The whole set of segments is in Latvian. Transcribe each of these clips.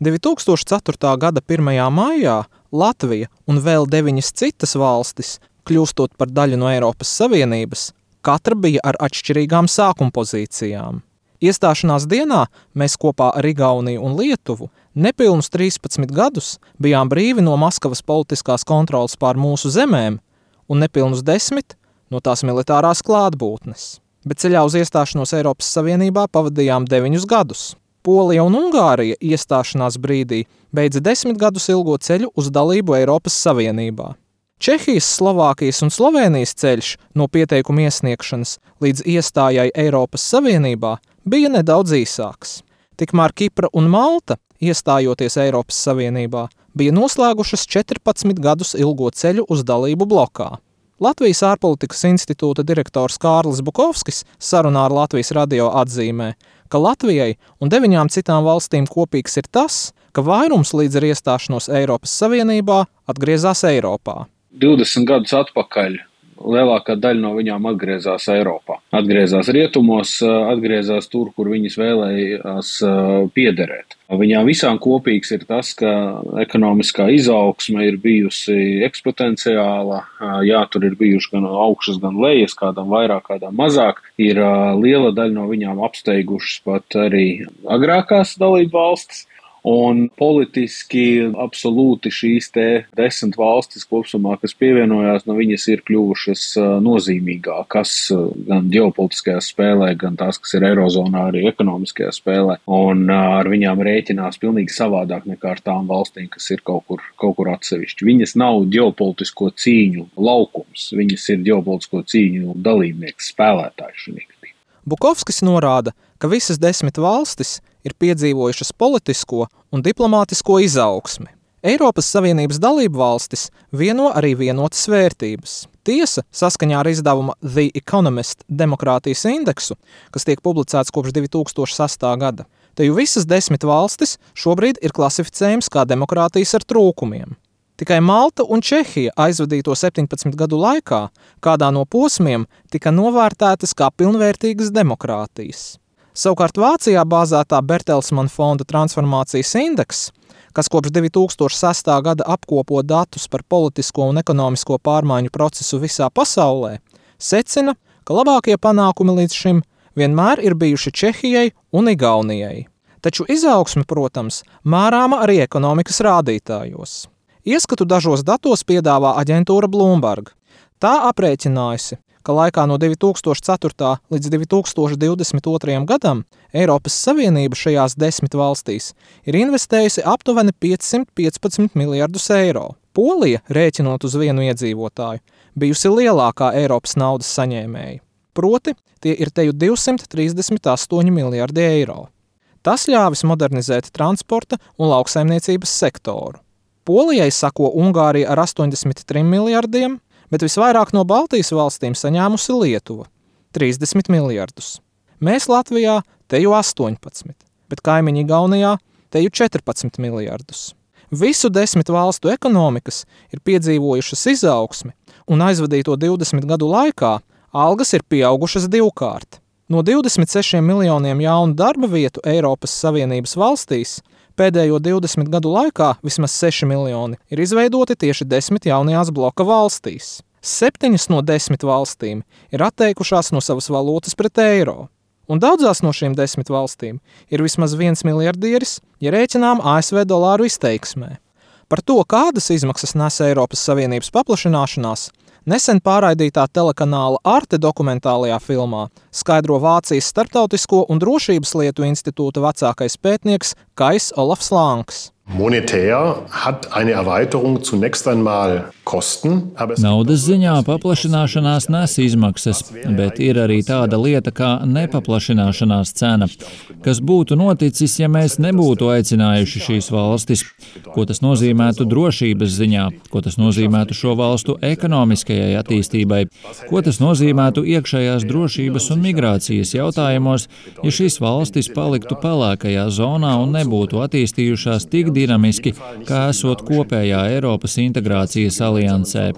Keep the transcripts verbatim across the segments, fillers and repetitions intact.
divi tūkstoši ceturtā gada pirmajā maijā Latvija un vēl deviņas citas valstis, kļūstot par daļu no Eiropas Savienības, katra bija ar atšķirīgām sākuma pozīcijām. Iestāšanās dienā mēs kopā ar Igauniju un Lietuvu nepilnus trīspadsmit gadus bijām brīvi no Maskavas politiskās kontroles pār mūsu zemēm un nepilnus desmit no tās militārās klātbūtnes. Bet ceļā uz iestāšanos Eiropas Savienībā pavadījām deviņus gadus. Polija un Ungārija iestāšanās brīdī beidza desmit gadus ilgo ceļu uz dalību Eiropas Savienībā. Čehijas, Slovākijas un Slovēnijas ceļš no pieteikuma iesniegšanas līdz iestājai Eiropas Savienībā bija nedaudz īsāks. Tikmēr Kipra un Malta, iestājoties Eiropas Savienībā, bija noslēgušas četrpadsmit gadus ilgo ceļu uz dalību blokā. Latvijas ārpolitikas institūta direktors Kārlis Bukovskis sarunā ar Latvijas radio atzīmē, ka Latvijai un deviņām citām valstīm kopīgs ir tas, ka vairums līdz ar iestāšanos Eiropas Savienībā atgriezās Eiropā. divdesmit gadus atpakaļ lielākā daļa no viņām atgriezās Eiropā. Atgriezās rietumos, atgriezās tur, kur viņas vēlējās piederēt. Viņām visām kopīgs ir tas, ka ekonomiskā izaugsme ir bijusi eksponenciāla, jā, tur ir bijuši gan augšas, gan lejas, kādām vairāk, kādām mazāk. Ir liela daļa no viņām apsteigušas pat arī agrākās dalību valstis. Un politiski absolūti šīs te desmit valstis kopsumā, kas pievienojās, no viņas ir kļuvušas nozīmīgākas gan ģeopolitiskajā spēlē, gan tās, kas ir Eirozonā, arī ekonomiskajā spēlē. Un ar viņām rēķinās pilnīgi savādāk nekā ar tām valstīm, kas ir kaut kur, kaut kur atsevišķi. Viņas nav ģeopolitisko cīņu laukums, viņas ir ģeopolitisko cīņu dalībnieks, spēlētājs šī gadījumā. Bukovskis norāda, ka visas desmit valstis ir piedzīvojušas politisko un diplomātisko izaugsmi. Eiropas Savienības dalību valstis vieno arī vienotas vērtības. Tiesa, saskaņā ar izdevuma The Economist demokrātijas indeksu, kas tiek publicēts kopš divi tūkstoši sastā gada, te jau visas desmit valstis šobrīd ir klasificējums kā demokrātijas ar trūkumiem. Tikai Malta un Čehija aizvadīto septiņpadsmit gadu laikā kādā no posmiem tika novērtētas kā pilnvērtīgas demokrātijas. Savukārt Vācijā bāzētā Bertelsmann fonda transformācijas indeks, kas kopš divi tūkstoši sastā gada apkopo datus par politisko un ekonomisko pārmaiņu procesu visā pasaulē, secina, ka labākie panākumi līdz šim vienmēr ir bijuši Čehijai un Igaunijai. Taču izaugsme, protams, mērāma arī ekonomikas rādītājos. Ieskatu dažos datos piedāvā aģentūra Bloomberg. Tā aprēķinājusi, ka laikā no divi tūkstoši ceturtā līdz divi tūkstoši divdesmit otrajam gadam Eiropas Savienība šajās desmit valstīs ir investējusi aptuveni piecsimt piecpadsmit miljardus eiro. Polija, rēķinot uz vienu iedzīvotāju, bijusi lielākā Eiropas naudas saņēmēja. Proti, tie ir teju divsimt trīsdesmit astoņi miljardi eiro. Tas ļāvis modernizēt transporta un lauksaimniecības sektoru. Polijai sako Ungārija ar astoņdesmit trim miljardiem, bet visvairāk no Baltijas valstīm saņēmusi Lietuva – trīsdesmit miljardus. Mēs Latvijā teju astoņpadsmit, bet kaimiņi Igaunijā teju četrpadsmit miljardus. Visu desmit valstu ekonomikas ir piedzīvojušas izaugsmi, un aizvadīto divdesmit gadu laikā algas ir pieaugušas divkārt. No divdesmit sešiem miljoniem jaunu darba vietu Eiropas Savienības valstīs pēdējo divdesmit gadu laikā vismaz seši miljoni ir izveidoti tieši desmit jaunajās bloka valstīs. Septiņas no desmit valstīm ir atteikušās no savas valūtas pret eiro. Un daudzās no šīm desmit valstīm ir vismaz viens miljardieris, ja rēķinām A S V dolāru izteiksmē. Par to, kādas izmaksas nes Eiropas Savienības paplašināšanās, nesen pārraidītā telekanāla Arte dokumentālajā filmā skaidro Vācijas starptautisko un drošības lietu institūta vecākais pētnieks Kais Olafs Langs. Monetär hat eine Erweiterung zunächst einmal Kosten. Naudas ziņā paplašināšanās nes izmaksas, bet ir arī tāda lieta kā nepaplašināšanās cena. Kas būtu noticis, ja mēs nebūtu aicinājuši šīs valstis? Ko tas nozīmētu drošības ziņā? Ko tas nozīmētu šo valstu ekonomiskajai attīstībai? Ko tas nozīmētu iekšējās drošības un migrācijas jautājumos, ja šīs valstis paliktu pelēkajā zonā un nebūtu attīstījušās tik dinamiski, kā esot kopējā Eiropas integrācijas aliansē.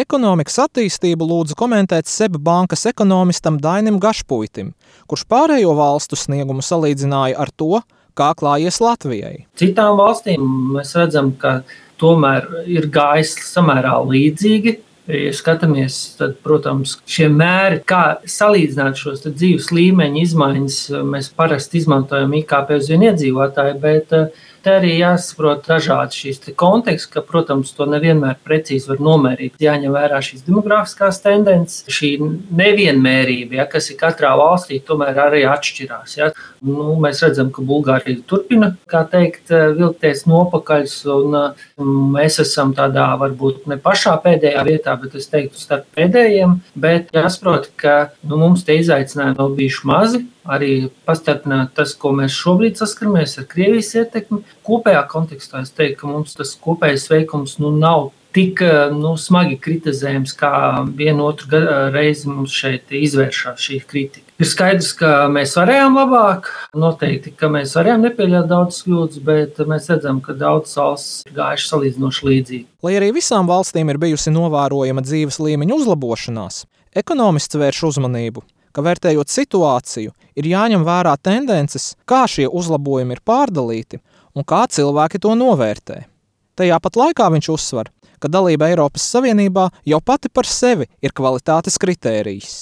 Ekonomikas attīstību lūdzu komentēt SEB bankas ekonomistam Dainim Gašpuitim, kurš pārējo valstu sniegumu salīdzināja ar to, kā klājies Latvijai. Citām valstīm mēs redzam, ka tomēr ir gājis samērā līdzīgi. Ja skatāmies, tad, protams, šie mēri, kā salīdzināt šos dzīves līmeņa izmaiņas, mēs parasti izmantojam I K P uz vienu iedzīvotāju, bet te arī jāsaprot dažādi šīs konteksti, ka, protams, to nevienmēr precīzi var nomērīt. Jāņem vērā šīs demografiskās tendences, šī nevienmērība, ja, kas ir katrā valstī, tomēr arī atšķirās. Ja. Nu, mēs redzam, ka Bulgārija turpina, kā teikt, vilkties nopakaļs, un mēs esam tādā varbūt ne pašā pēdējā vietā, bet es teiktu starp pēdējiem, bet jāsaprot, ka nu, mums tie izaicinājumi vēl bijuši mazi, arī pastarpināt tas, ko mēs šobrīd saskaramies ar Krievijas ietekmi. Kopējā kontekstā es teiktu, ka mums tas kopējais veikums nu, nav tik nu, smagi kritizējams, kā vienu otru reizi mums šeit izvēršās šī kritika. Ir skaidrs, ka mēs varējām labāk, noteikti, ka mēs varējām nepieļaut daudz kļūdas, bet mēs redzam, ka daudz valsts ir gājuši salīdzinoši līdzīgi. Lai arī visām valstīm ir bijusi novērojama dzīves līmeņa uzlabošanās, ekonomists vērš uzmanību, ka vērtējot situāciju, ir jāņem vērā tendences, kā šie uzlabojumi ir pārdalīti un kā cilvēki to novērtē. Tajā pat laikā viņš uzsver, ka dalība Eiropas Savienībā jau pati par sevi ir kvalitātes kritērijs.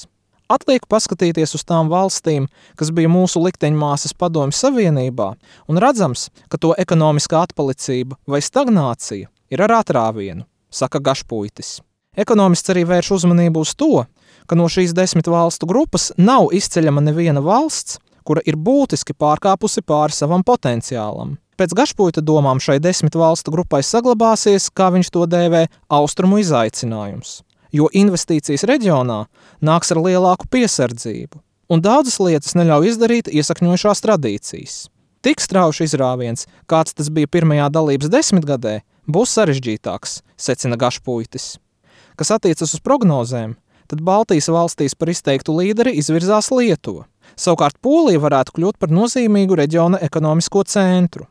Atliek paskatīties uz tām valstīm, kas bija mūsu likteņmāsas Padomju Savienībā, un redzams, ka to ekonomiskā atpalicība vai stagnācija ir ar atrāvienu, saka Gašpuitis. Ekonomists arī vērš uzmanību uz to, ka no šīs desmit valstu grupas nav izceļama neviena valsts, kura ir būtiski pārkāpusi pāri savam potenciālam. Pēc Gašpuita domām šai desmit valstu grupai saglabāsies, kā viņš to dēvē, austrumu izaicinājums, jo investīcijas reģionā nāks ar lielāku piesardzību, un daudzas lietas neļauj izdarīt iesakņojušās tradīcijas. Tik strauši izrāviens, kāds tas bija pirmajā dalības desmitgadē, būs sarežģītāks, secina Gašpuitis. Kas attiecas uz prognozēm, tad Baltijas valstīs par izteiktu līderi izvirzās Lietuva. Savukārt Polija varētu kļūt par nozīmīgu reģiona ekonomisko centru.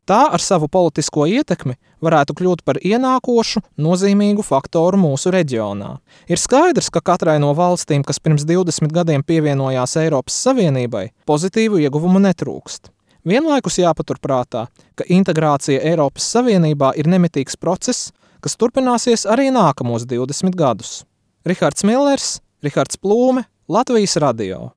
Tā ar savu politisko ietekmi varētu kļūt par ienākošu, nozīmīgu faktoru mūsu reģionā. Ir skaidrs, ka katrai no valstīm, kas pirms divdesmit gadiem pievienojās Eiropas Savienībai, pozitīvu ieguvumu netrūkst. Vienlaikus jāpaturprātā, ka integrācija Eiropas Savienībā ir nemitīgs process, kas turpināsies arī nākamos divdesmit gadus. Rihards Millers, Rihards Plūme, Latvijas radio.